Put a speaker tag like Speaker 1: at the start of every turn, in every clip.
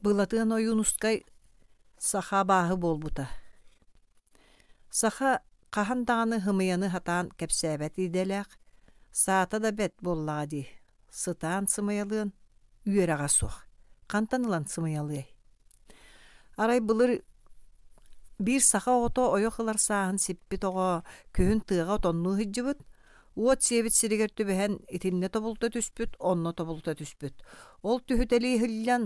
Speaker 1: Былатыан Ойуунускай саха абааһы буолбута. Саха хаһан даҕаны һымыйаны сатаан кэпсээбэт идэлээх, саата да бэрт буоллаҕа дии, сытаан сымыйалыан үөрэҕэ суох, хантан ылан сымыйалыай? Арай былыр биир саха оҕото ойох ылар сааһын сиппит оҕо күһүн тыаҕа отоннуу сылдьыбыт, уот сиэбит сиригэр түбэһэн итиннэ тобулта түспүт, онно тобулта түспүт. Ол түһүтэлии иһиллэн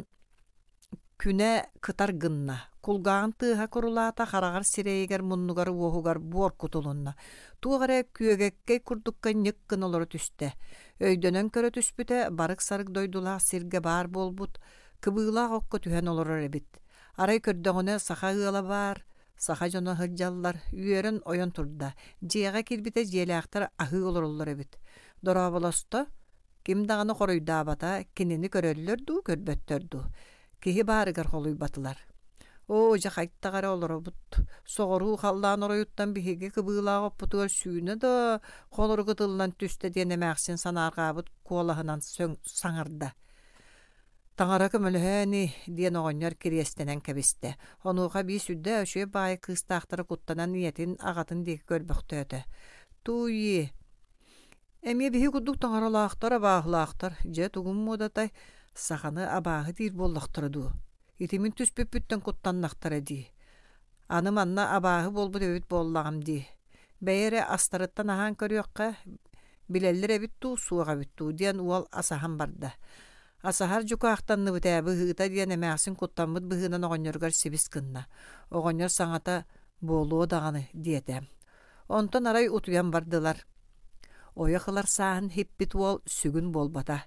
Speaker 1: Күнэ кытар гынна, кулгааҕын тыаһа курулаата, хараҕар сирэйигэр, муннугар, уоһугар буор кутулунна. Туох эрэ күөгэккэй курдукка ньык гына олоро түстэ. Өйдөнөн көрө түспүтэ, барык-сарык дойдулаах сиргэ баар буолбут, кыбыылаах окко түһэн олорор эбит. Арай көрдөҕүнэ саха ыала баар, саха дьоно сылдьаллар, үөрэн ойон турда. Дьиэҕэ киирбитэ дьиэлээхтэр аһыы олороллор эбит. Дорооболосто, Ким даҕаны хоруйдаабата, кинини көрөллөр дуу, көрбөттөр дуу. Киһи баарыгар холуйбатылар. Оо, дьэ хайдах эрэ олоробут. Соҕуруу халлаан оройуттан биһиги кыбыылаах оппутугар сүүнэ да холорук ытыллан түстэ диэн эмээхсин санаарҕаабыт куолаһынан саҥарда. Таҥара көмөлөһөө ини диэн оҕонньор кириэстэнэн кэбистэ. Онуоха биир сүрдээх үчүгэй баайы кыыстаахтара куттанан ийэтин, аҕатын диэки көрбөхтөөтө. Тууйи, Эмиэ биһи курдук таҥаралаахтар, абааһылаахтар, дьэ тугум муодатай, саханы абааһы диир буоллахтара дуу, ити мин түспүппүттэн куттаннахтара дии. Аны манна абааһы буолбут эбит буоллаҕым дии. Бэйэ эрэ астарыттан аһаан көрүөххэ, билэллэр эбит дуу, суох эбит дуу диэн уол асаһан барда. Асаһар дьукаахтанныбыт ээ быһыыта диэн эмээхсин куттаммыт быһыынан оҕонньоругар сибис гынна. Оҕонньор саҥата «буолуо даҕаны» диэтэ. Онтон арай утуйан бардылар. Ойох ылар сааһын һиппит уол сүгүн буолбата.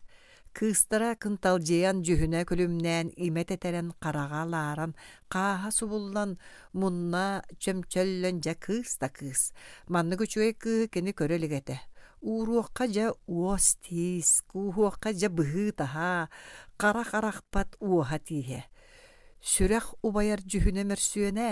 Speaker 1: Кыыстара кынталдьыйан, дьүһүнэ күлүмнээн, имэ тэтэрэн, хараҕа лааран, хааһа субуллан, мунна чөмчөллөн дьэ кыыс да кыыс. Маннык үчүгэй кыыһы кини көрө илик этэ. Ууруохха дьэ уос-тиис, кууһуохха дьэ быһыы-таһаа, харах арахпат уоһа тииһэ. Сүрэх убайар дьүһүнэ мөрсүөнэ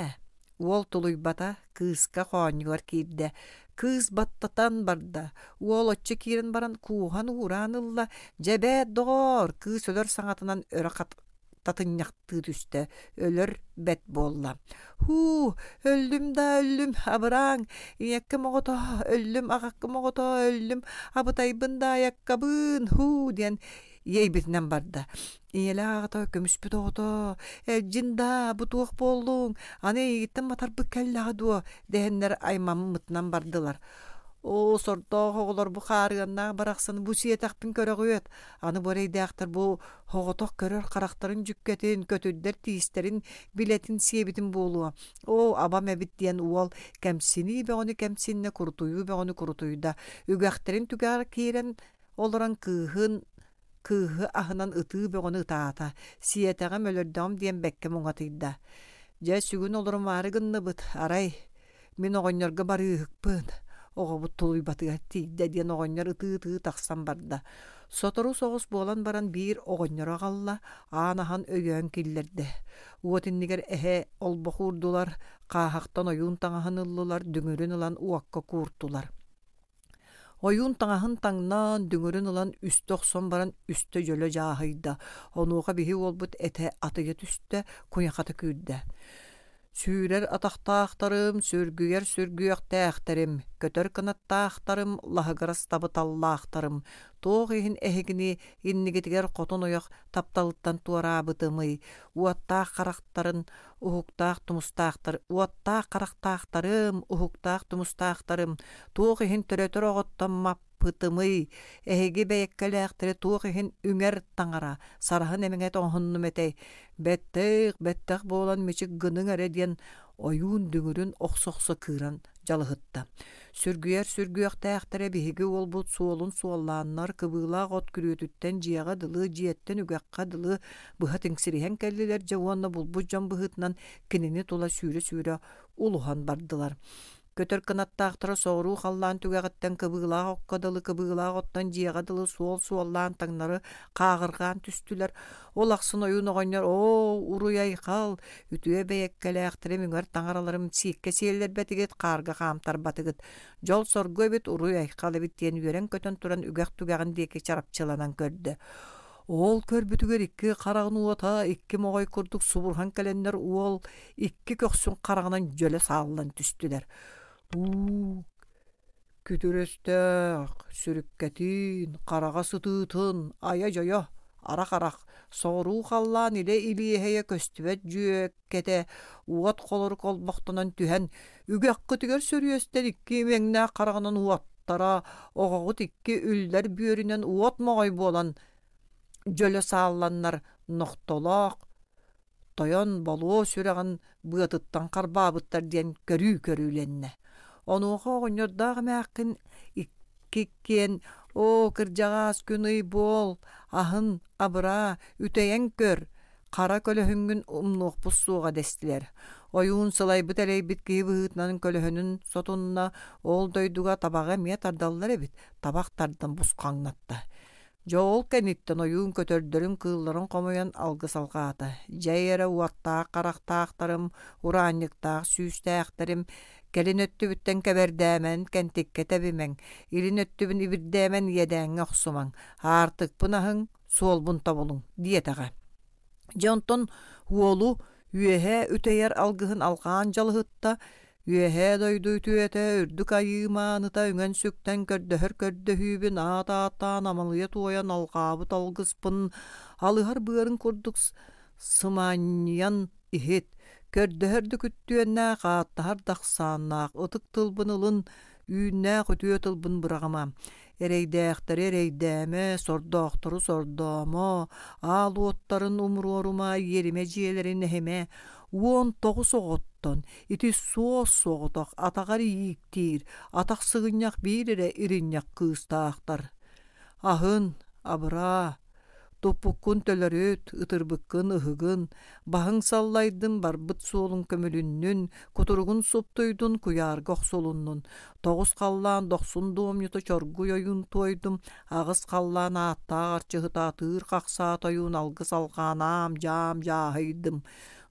Speaker 1: Уол тулуйбата, кыыска хоонньугар киирдэ. Кыыс баттатан барда. Уол оччо киирэн баран кууһан уураан ылла. Дьэ эбээт, доҕоор, кыыс өлөр саҥатынан өрө татынньахтыы түстэ. Өлөр бэт буолла. Һуу, өллүм да өллүм, абырааҥ, ийэккэм оҕото, өллүм, аҕаккам оҕото, өллүм, абытайбын да айаккабыын, һуу диэн иэйбитинэн барда. Ийэлээх аҕата көмүспүт оҕото, «Элдьин даа, бу туох буоллуҥ, аны эйигиттэн матарбыт кэллэҕэ дуо?» дэһэннэр аймаммытынан бардылар. «Оо, сордоох оҕолор бу хаарыаннаах барахсаны бу сиэтэхпин көрөҕүөт, аны бу эрэйдээхтэр бу оҕотох көрөр харахтарын дьүккэтин, көтүрдэр тиистэрин билэтин сиэбитин буолуо. Оо, абам эбит» диэн уол кэмсинии бөҕөнү кэмсиннэ, курутуйуу бөҕөнү курутуйда. Үгэхтэрин түгэҕэр киирэн олорон кыыһын Кыыһы аһынан ытыы бөҕөнү ытаата, сиэтэҕим, өлөрдөҕүм диэн бэккэ муҥатыйда. Дьэ, сүгүн олорумаары гынныбыт, арай, мин оҕонньорго барыыһыкпын, оҕобут тулуйбатыгар тиийдэ диэн оҕонньор ытыы-ытыы тахсан барда. Сотору соҕус буолан баран биир оҕонньору аҕалла, аан аһан өйөөн киллэрдэ. Уот иннигэр эһэ олбох уурдулар, хааһахтан ойуун таҥаһын ыллылар, дүҥүрүн ылан уокка кууртулар. Ойуун таҥаһын таҥнан, дүҥүрүн ылан үстэ охсон баран үстэ дьөлө дьааһыйда, онуоха биһи уолбут этэ атыйа түстэ, куйахата күүрдэ. Сүүрэр атахтаахтарым, сүргүйэр сүргүөхтээхтэрим, көтөр кынаттаахтарым, лаһыгырас табыталлаахтарым, туох иһин эһигини иннигитигэр хотун ойох тапталыттан туораабытымый, уоттаах харахтарын уһуктаах тумустаахтар, уоттаах харахтаахтарым, уһуктаах тумустаахтарым, туох иһин төрөтөр оҕоттон маппытымый, эһиги бэйэккэлээхтэри туох иһин үҥэр таҥара, сараһын эмиҥэ тоҥоһуннум этэй, бэттэх, бэттэх буолан мичик гыныҥ эрэ диэн ойуун дүҥүрүн охсо-охсо кыыран дьалыһытта. Сүргүйэр сүргүөхтээхтэрэ биһиги уолбут суолун суоллааннар кыбыылаах от күрүөтүттэн дьиэҕэ дылы, дьиэттэн үгэххэ дылы быһа тиҥсириһэн кэллилэр дьэ уонна булбут дьон быһыытынан кинини тула сүүрэ-сүүрэ улуһан бардылар. Көтөр кынаттаахтара соҕуруу халлаан түгэҕиттэн кыбыылаах окко дылы кыбыылаах оттон дьиэҕэ дылы суол суоллаан таҥнары хааҕырҕаан түстүлэр. Ол ахсын ойуун оҕонньор «Оо, уруй-айхал, үтүө бэйэккэлээхтэрим үҥэр таҥараларым сииккэ сиэллэрбэтигит, хаарга хаамтарбатыгыт, дьол-соргу эбит, уруй-айхал эбит» диэн үөрэн-көтөн туран үгэх түгэҕин диэки чарапчыланан көрдө. Ол көрбүтүгэр икки хараҕын уота икки моҕой курдук субурһан кэлэннэр уол икки көхсүн хараҕынан дьөлө сааллан түстүлэр. Уу, күтүр өстөөх, сүрүккэтин, хараҕа сытыытын, айа-дьойо, арах-арах, соҕуруу халлаан илэ илиэһэйэ көстүбэт дьүөккэтэ уот холорук олбохтонон түһэн, үгэххитигэр сөрүөстэн икки имэҥнээх хараҕынан уоттара, оҕоҕут икки үллэр бүөрүнэн уот моҕой буолан дьөлө саалланнар нохтолоох тойон болуо сүрэҕин быатыттан харбаабыттар диэн көрүү көрүүлэннэ. Онуоха оҕонньордоох эмээххин иккиэн «Оо, кырдьаҕаас күн-ый буол, аһын, абыраа, үтэйэн көр, хара көлөһүҥҥүн умнуохпут суоҕа» дэстилэр. Ойуун сылайбыт-элэйбит киһи быһыытынан көлөһүнүн сотунна, ол дойдуга табаҕы эмиэ тардаллар эбит, табах тардан бусхаҥнатта. Дьэ ол кэнниттэн ойуун көтөрдөрүн, кыылларын хомуйан алгыс алҕаата: «Дьэй эрэ уоттаах харахтаахтарым, ураанньыктаах сүүстээхтэрим, кэлин өттүбүттэн кэбэрдээмэн, кэнтиккэ тэбимэҥ, илин өттүбүн ибирдээмэн иэдээҥҥэ охсумаҥ, аартыкпын аһыҥ, суолбун тобулуҥ» диэтэҕэ. Дьэ онтон уолу үөһээ үтэйэр алгыһын алҕаан дьалыһытта, Үөһээ дойду үтүөтэ, үрдүк айыы мааныта үҥэн-сүктэн көрдөһөр көрдөһүүбүн аат ааттаан амалыйа туойан алҕаабыт алгыспын алыһар быарын курдук сыманньыйан иһит, көрдөһөр да күттүөннээх, ааттаһар да ахсааннаах ытык тылбын ылын, үүннээх үтүө тылбын быраҕыма. Эрэйдээхтэри эрэйдээмэ, сордоохтору сордоомо, аал уоттарын умуруорума, иэримэ дьиэлэрин эһимэ, 19 оҕоттон ити суос-соҕотох атаҕар ииктиир, атах сыгынньах биир эрэ иринньэх кыыстаахтар. Аһын, абыраа, туппуккун төлөрүт, ытырбыккын ыһыгын, баһыҥ саллайдын, барбыт суолуҥ көмүлүннүн, кутуругун суптуйдун, куйаарга охсулуннун, тоҕус халлаан дохсун дуомньута чоргуй ойуун туойдум, аҕыс халлаан ааттаах арчыһыта атыыр хахсаат ойуун алгыс алҕаан аам-дьаам дьааһыйдым,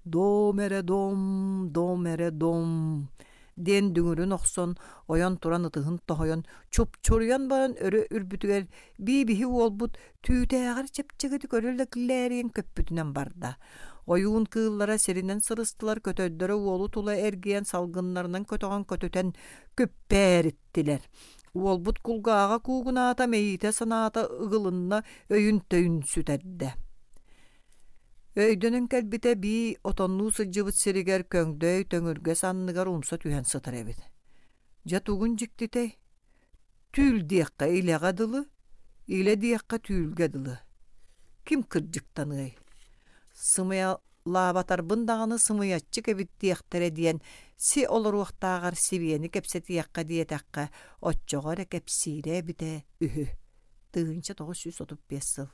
Speaker 1: «Дом эрэ дом, дом эрэ дом» диэн дүҥүрүн охсон, ойон туран ытыһын тоһуйан, чупчуруйан баран өрө үрбүтүгэр бии-биһи уолбут түүтээҕэр чэпчэкитик өрө лэглээрийэн көппүтүнэн барда. Ойуун кыыллара сиринэн сырыстылар, көтөрдөрө уолу тула эргийэн салгыннарынан көтөҕөн көтүтэн күппээриттилэр. Уолбут кулгааҕа куугунаата, мэйиитэ санаата ыгылынна, өйүн-төйүн сүтэрдэ. Өйдөнөн кэлбитэ бии отоннуу сылдьыбыт сиригэр көҥдөй төҥүргэс анныгар умса түһэн сытар эбит. Дьэ тугун дьиктитэй? Түүл диэххэ илэҕэ дылы, илэ диэххэ түүлгэ дылы. Ким кырдьыктаныай? Сымыйалаабатарбын даҕаны сымыйаччык эбит диэхтэрэ диэн си олоруохтааҕар сибиэни кэпсэтиэххэ диэтэххэ, оччоҕо эрэ кэпсиирэ эбитэ үһү. 1935 сыл.